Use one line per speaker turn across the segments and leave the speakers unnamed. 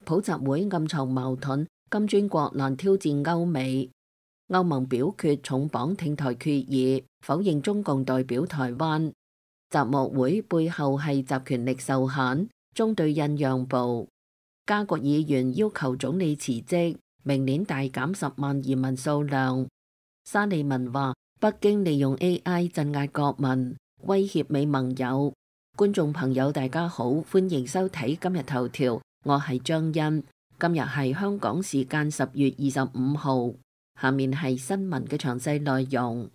普習會暗藏矛盾，金磚國難挑戰歐美。歐盟表決重磅挺台決議，否認中共代表台灣。習莫會背後係集權力受限，中對印讓步。加國議員要求總理辭職，明年大減10萬移民數量。沙利文話：北京利用 AI 鎮壓國民，威脅美盟友。觀眾朋友大家好，歡迎收睇今日頭條，我係張欣。今日係香港時間10月25號，下面係新聞嘅詳細內容。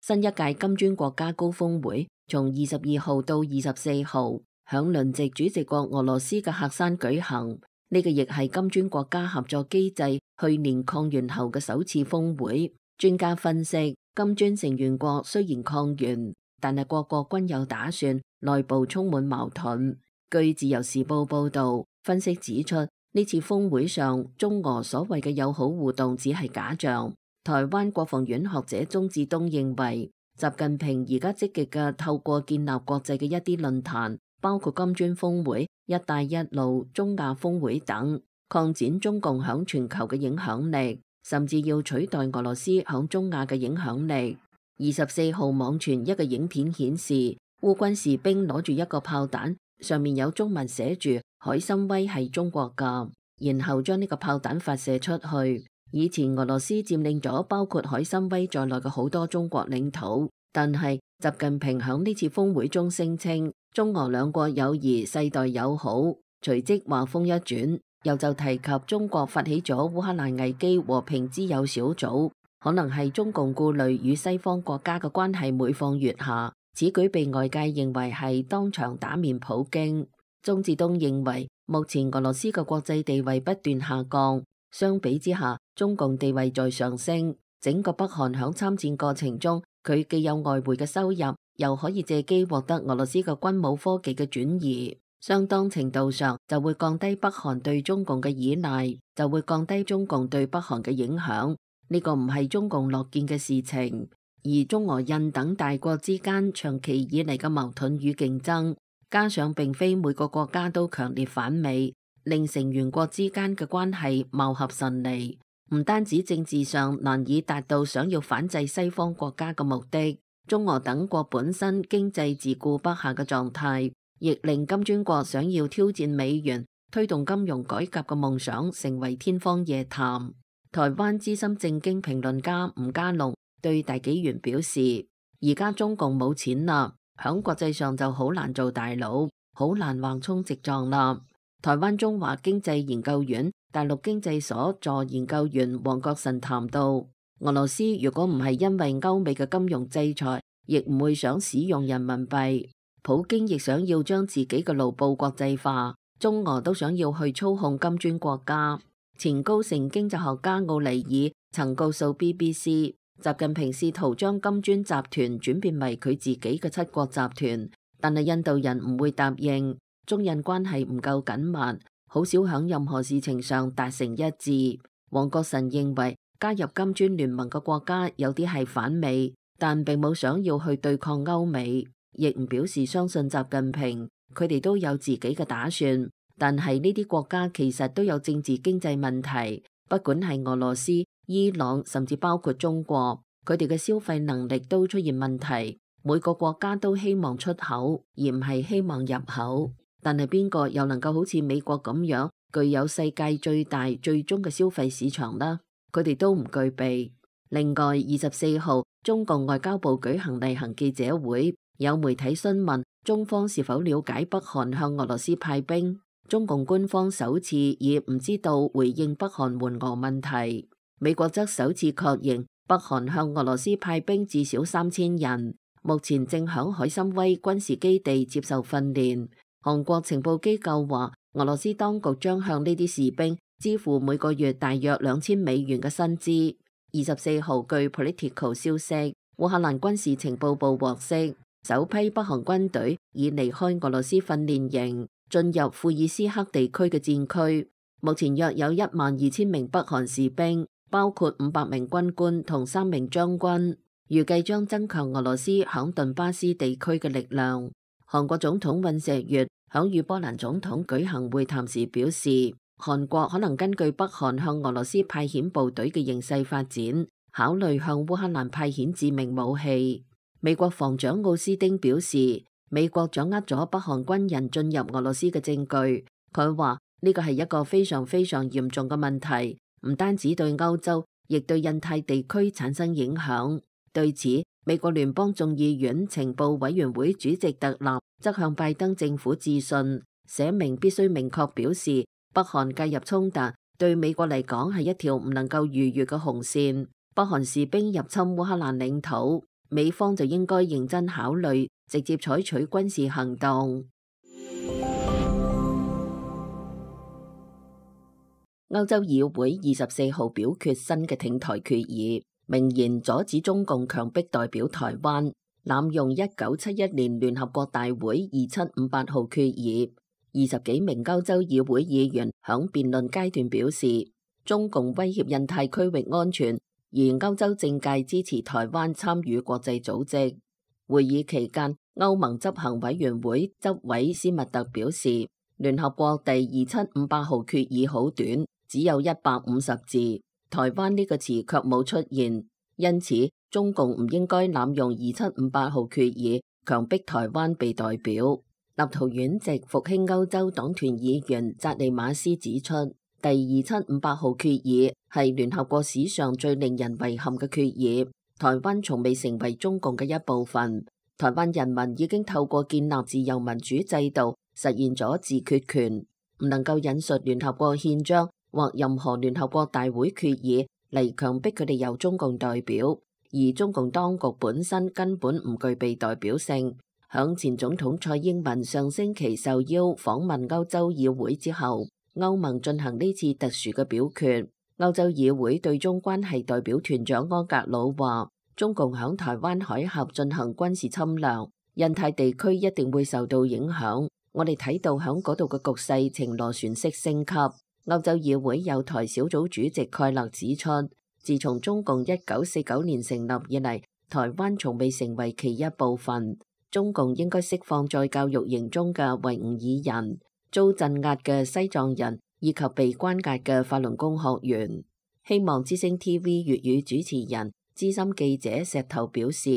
新一屆金磚國家高峰會從22號到24號，響輪值主席國俄羅斯嘅喀山舉行。呢個亦係金磚國家合作機制去年抗元後嘅首次峰會。專家分析，金磚成員國雖然抗元，但係各國均有打算，內部充滿矛盾。據自由時報報道，分析指出，呢次峰會上中俄所謂嘅友好互動只係假象。台灣國防院學者鍾志東認為，習近平而家積極嘅透過建立國際嘅一啲論壇，包括金磚峰會、一帶一路、中亞峰會等，擴展中共響全球嘅影響力，甚至要取代俄羅斯響中亞嘅影響力。24號網傳一個影片顯示，烏軍士兵攞住一個炮彈，上面有中文寫住海參崴係中國㗎，然後將呢個炮彈發射出去。以前俄羅斯佔領咗包括海參崴在內嘅好多中國領土，但係習近平響呢次峰會中聲稱中俄兩國友誼世代友好，隨即話風一轉，又就提及中國發起咗烏克蘭危機和平之友小組，可能係中共顧慮與西方國家嘅關係每況愈下，此舉被外界認為係當場打面普京。鍾志東認為，目前俄羅斯嘅國際地位不斷下降，相比之下，中共地位在上升。整個北韓響參戰過程中，佢既有外匯嘅收入，又可以借機獲得俄羅斯嘅軍武科技嘅轉移，相當程度上就會降低北韓對中共嘅依賴，就會降低中共對北韓嘅影響。呢個唔係中共樂見嘅事情。而中俄印等大國之間長期以嚟嘅矛盾與競爭，加上並非每個國家都強烈反美，令成員國之間嘅關係貌合神離，唔單止政治上難以達到想要反制西方國家嘅目的，中俄等國本身經濟自顧不暇嘅狀態，亦令金磚國想要挑戰美元、推動金融改革嘅夢想成為天方夜譚。台灣資深政經評論家吳家龍對大紀元表示，而家中共冇錢啦，響國際上就好難做大佬，好難橫衝直撞啦。台灣中華經濟研究院大陸經濟所助研究員黃國臣談到，俄羅斯如果唔係因為歐美嘅金融制裁，亦唔會想使用人民幣。普京亦想要將自己嘅盧布國際化，中俄都想要去操控金磚國家。前高盛經濟學家奧尼爾曾告訴 BBC， 習近平試圖將金磚集團轉變為佢自己嘅七國集團，但係印度人唔會答應。中印關係唔夠緊密，好少響任何事情上達成一致。黃國臣認為加入金磚聯盟嘅國家有啲係反美，但並冇想要去對抗歐美，亦唔表示相信習近平，佢哋都有自己嘅打算。但係呢啲國家其實都有政治經濟問題，不管係俄羅斯、伊朗，甚至包括中國，佢哋嘅消費能力都出現問題。每個國家都希望出口，而唔係希望入口。但係邊個又能夠好似美國咁樣具有世界最大最終嘅消費市場呢？佢哋都唔具備。另外，24號中共外交部舉行例行記者會，有媒體詢問中方是否了解北韓向俄羅斯派兵。中共官方首次以唔知道回應北韓援俄問題。美國則首次確認北韓向俄羅斯派兵至少3000人，目前正響海參崴軍事基地接受訓練。韓國情報機構話，俄羅斯當局將向呢啲士兵支付每個月大約$2000嘅薪資。24號據 Political 消息，烏克蘭軍事情報部獲悉，首批北韓軍隊已離開俄羅斯訓練營，進入庫爾斯克地區嘅戰區。目前約有12000名北韓士兵，包括500名軍官同3名將軍，預計將增強俄羅斯響頓巴斯地區嘅力量。韓國總統尹錫悅響與波蘭總統舉行會談時表示，韓國可能根據北韓向俄羅斯派遣部隊嘅形勢發展，考慮向烏克蘭派遣致命武器。美國防長奧斯丁表示，美國掌握咗北韓軍人進入俄羅斯嘅證據。佢話呢個係一個非常非常嚴重嘅問題，唔單止對歐洲，亦對印太地區產生影響。對此，美國聯邦眾議院情報委員會主席特納則向拜登政府致信，寫明必須明確表示，北韓介入衝突對美國嚟講係一條唔能夠逾越嘅紅線。北韓士兵入侵烏克蘭領土，美方就應該認真考慮直接採取軍事行動。歐洲議會24號表決新嘅挺台決議，明言阻止中共強迫代表台灣，濫用1971年聯合國大會2758號決議。20幾名歐洲議會議員響辯論階段表示，中共威脅印太區域安全，而歐洲政界支持台灣參與國際組織。會議期間，歐盟執行委員會執委斯密特表示，聯合國第2758號決議好短，只有150字，台灣呢個詞卻冇出現，因此中共唔應該濫用2758號決議，強迫台灣被代表。立陶宛籍復興歐洲黨團議員扎利馬斯指出，第2758號決議係聯合國史上最令人遺憾嘅決議。台灣從未成為中共嘅一部分，台灣人民已經透過建立自由民主制度，實現咗自決權，唔能夠引述聯合國憲章或任何聯合國大會決議嚟強迫佢哋由中共代表，而中共當局本身根本唔具備代表性。響前總統蔡英文上星期受邀訪問歐洲議會之後，歐盟進行呢次特殊嘅表決。歐洲議會對中關係代表團長安格魯話，中共響台灣海峽進行軍事侵略，印太地區一定會受到影響。我哋睇到響嗰度嘅局勢呈螺旋式升級。歐洲議會友台小組主席蓋勒指出，自從中共1949年成立以嚟，台灣從未成為其一部分。中共應該釋放在教育營中嘅維吾爾人、遭鎮壓嘅西藏人以及被關押嘅法輪功學員。希望之聲 TV 粵語主持人、資深記者石頭表示，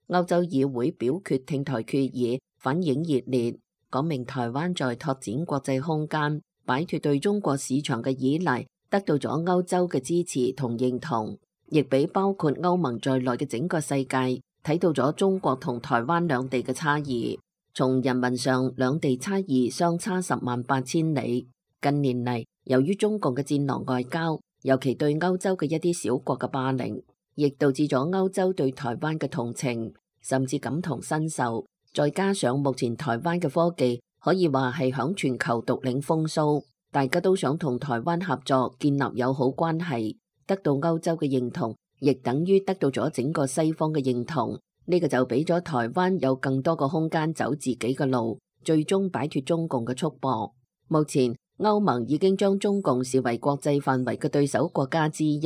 歐洲議會表決挺台決議反應熱烈，講明台灣在拓展國際空間、擺脫對中國市場嘅依賴，得到咗歐洲嘅支持同認同，亦俾包括歐盟在內嘅整個世界睇到咗中國同台灣兩地嘅差異。從人民上，兩地差異相差108000里。近年嚟，由於中共嘅戰狼外交，尤其對歐洲嘅一啲小國嘅霸凌，亦導致咗歐洲對台灣嘅同情，甚至感同身受。再加上目前台灣嘅科技可以話係響全球獨領風騷，大家都想同台灣合作，建立友好關係，得到歐洲嘅認同，亦等於得到咗整個西方嘅認同。呢個就俾咗台灣有更多個空間走自己嘅路，最終擺脫中共嘅束縛。目前歐盟已經將中共視為國際範圍嘅對手國家之一。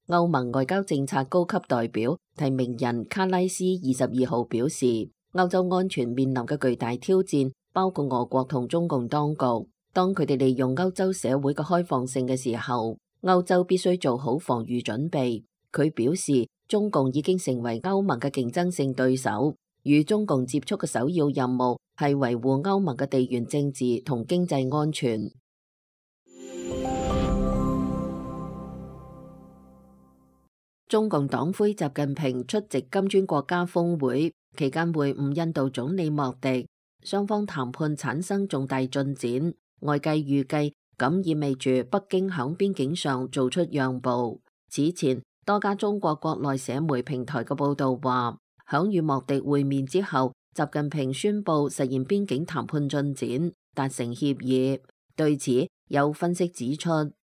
歐盟外交政策高級代表提名人卡拉斯22號表示，歐洲安全面臨嘅巨大挑戰包括俄國同中共當局。當佢哋利用歐洲社會嘅開放性嘅時候，歐洲必須做好防禦準備。佢表示，中共已經成為歐盟嘅競爭性對手，與中共接觸嘅首要任務係維護歐盟嘅地緣政治同經濟安全。中共黨魁習近平出席金磚國家峰會期間會晤印度總理莫迪，雙方談判產生重大進展。外界預計咁意味住北京響邊境上做出讓步。此前多家中國國內社媒平台嘅報道話，響與莫迪會面之後，習近平宣布實現邊境談判進展，達成協議。對此，有分析指出，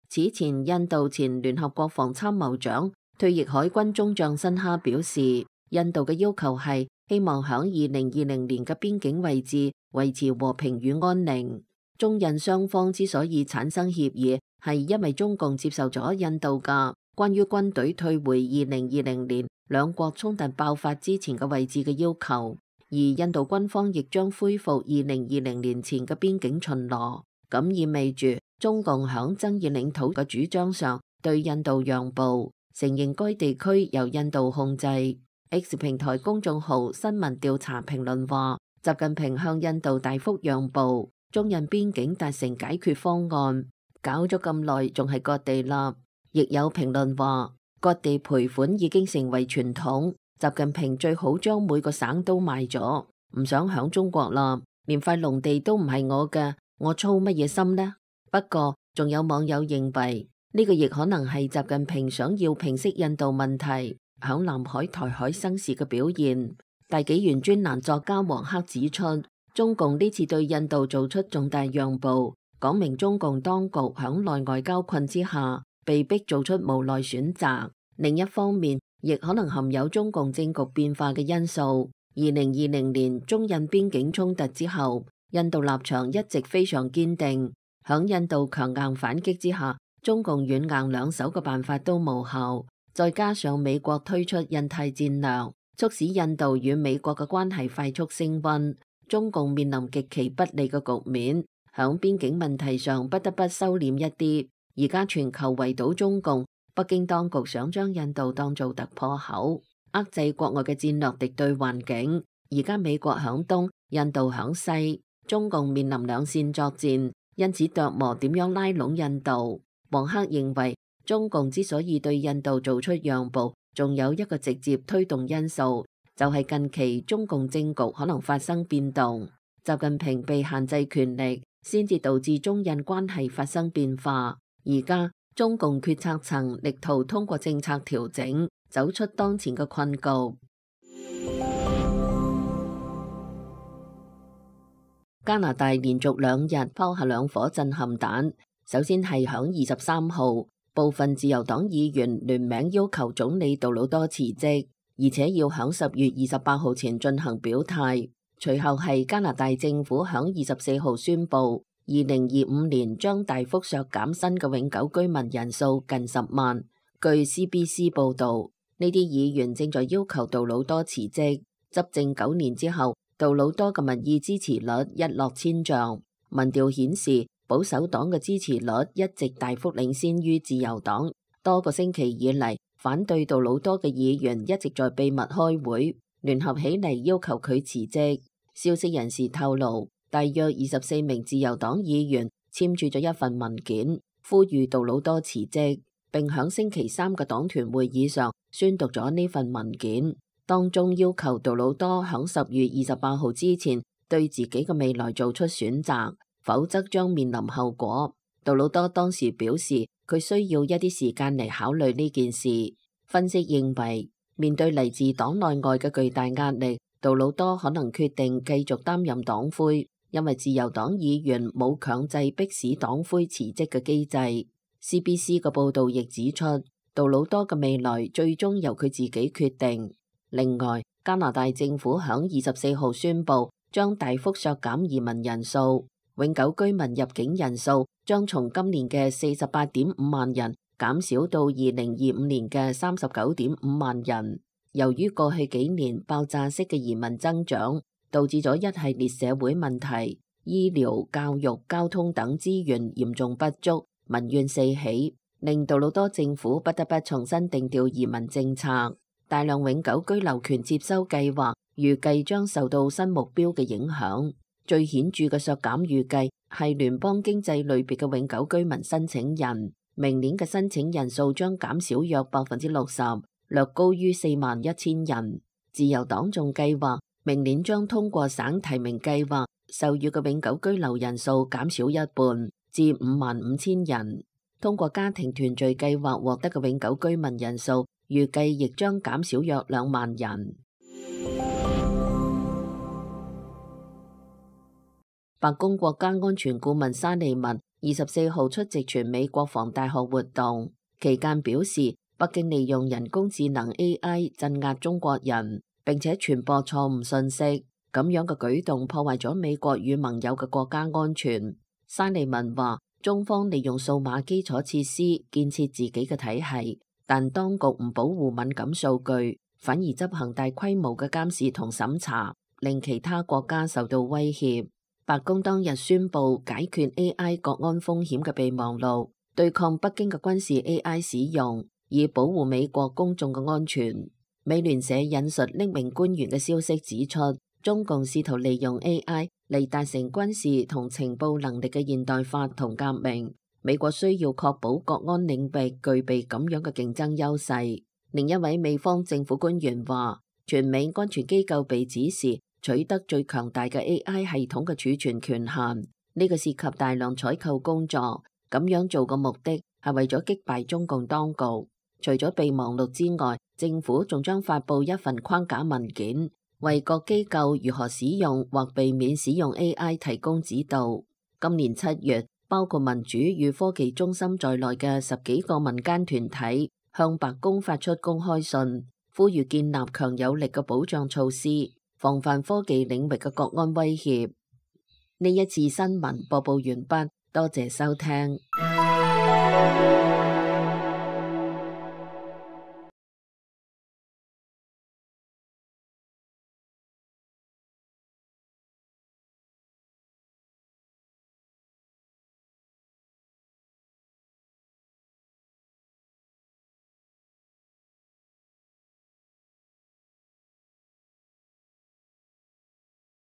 此前印度前聯合國防參謀長、退役海軍中將辛哈表示，印度嘅要求係希望響2020年嘅邊境位置維持和平與安寧。中印雙方之所以產生協議，係因為中共接受咗印度嘅關於軍隊退回2020年兩國衝突爆發之前嘅位置嘅要求，而印度軍方亦將恢復2020年前嘅邊境巡邏，咁意味住中共響爭議領土嘅主張上對印度讓步，承認該地區由印度控制。X 平台公眾號新聞調查評論話，習近平向印度大幅讓步，中印邊境達成解決方案，搞咗咁耐仲係割地啦。亦有評論話，割地賠款已經成為傳統。習近平最好將每個省都賣咗，唔想響中國啦，連塊農地都唔係我嘅，我操乜嘢心呢？不過仲有網友認為呢個亦可能係習近平想要平息印度問題響南海、台海生事嘅表現。大紀元專欄作家黃克指出，中共呢次對印度做出重大讓步，講明中共當局響內外交困之下被逼做出無奈選擇。另一方面，亦可能含有中共政局變化嘅因素。2020年中印邊境衝突之後，印度立場一直非常堅定。響印度強硬反擊之下，中共軟硬兩手嘅辦法都無效。再加上美國推出印太戰略，促使印度與美國嘅關係快速升溫，中共面臨極其不利嘅局面。響邊境問題上不得不收斂一啲。而家全球圍堵中共，北京當局想將印度當做突破口，遏制國外嘅戰略敵對環境。而家美國響東，印度響西，中共面臨兩線作戰，因此琢磨點樣拉攏印度。黃克認為，中共之所以對印度做出讓步，仲有一個直接推動因素，就係近期中共政局可能發生變動，習近平被限制權力，先至導致中印關係發生變化。而家中共決策層力圖通過政策調整，走出當前嘅困局。加拿大連續2日拋下2顆震撼彈，首先係響23號，部分自由黨議員聯名要求總理杜魯多辭職，而且要響10月28號前進行表態。隨後係加拿大政府響24號宣布，2025年將大幅削減新嘅永久居民人數近10萬。據 CBC 報導，呢啲議員正在要求杜魯多辭職。執政9年之後，杜魯多嘅民意支持率一落千丈。民調顯示，保守黨嘅支持率一直大幅領先於自由黨。多個星期以嚟，反對杜魯多嘅議員一直在秘密開會，聯合起嚟要求佢辭職。消息人士透露，大約24名自由黨議員簽署咗一份文件，呼籲杜魯多辭職，並響星期3嘅黨團會議上宣讀咗呢份文件，當中要求杜魯多響10月28號之前對自己嘅未來做出選擇，否則將面臨後果。杜魯多當時表示，佢需要一啲時間嚟考慮呢件事。分析認為，面對嚟自黨內外嘅巨大壓力，杜魯多可能決定繼續擔任黨魁，因為自由黨議員冇強制迫使黨魁辭職嘅機制。CBC 嘅報導亦指出，杜魯多嘅未來最終由佢自己決定。另外，加拿大政府響24號宣布，將大幅削減移民人數，永久居民入境人數將從今年嘅48.5萬人減少到2025年嘅39.5萬人。由於過去幾年爆炸式嘅移民增長，導致咗一系列社會問題，醫療、教育、交通等資源嚴重不足，民怨四起，令杜魯多政府不得不重新定調移民政策。大量永久居留權接收計劃預計將受到新目標嘅影響。最顯著嘅削減預計係聯邦經濟類別嘅永久居民申請人，明年嘅申請人數將減少約60%。略高於41000人。自由黨仲計劃明年將通過省提名計劃授予嘅永久居留人數減少一半，至55000人。通過家庭團聚計劃獲得嘅永久居民人數預計亦將減少約2萬人。白宮國家安全顧問沙利文24號出席全美國防大學活動期間表示，北京利用人工智能 AI 鎮壓中國人，並且傳播錯誤信息，咁樣嘅舉動破壞咗美國與盟友嘅國家安全。沙利文話，中方利用數碼基礎設施建設自己嘅體系，但當局唔保護敏感數據，反而執行大規模嘅監視同審查，令其他國家受到威脅。白宮當日宣布解決 AI 國安風險嘅備忘錄，對抗北京嘅軍事 AI 使用，以保護美國公眾嘅安全。美聯社引述匿名官員嘅消息指出，中共試圖利用 AI 嚟達成軍事同情報能力嘅現代化同革命。美國需要確保國安領域具備咁樣嘅競爭優勢。另一位美方政府官員話，全美安全機構被指示取得最強大嘅 AI 系統嘅儲存權限，呢個涉及大量採購工作。咁樣做嘅目的係為咗擊敗中共當局。除咗備忘錄之外，政府仲將發布一份框架文件，為各機構如何使用或避免使用 AI 提供指導。今年7月，包括民主與科技中心在內嘅10幾個民間團體向白宮發出公開信，呼籲建立強有力嘅保障措施，防範科技領域嘅國安威脅。呢一次新聞播報完畢，多謝收聽。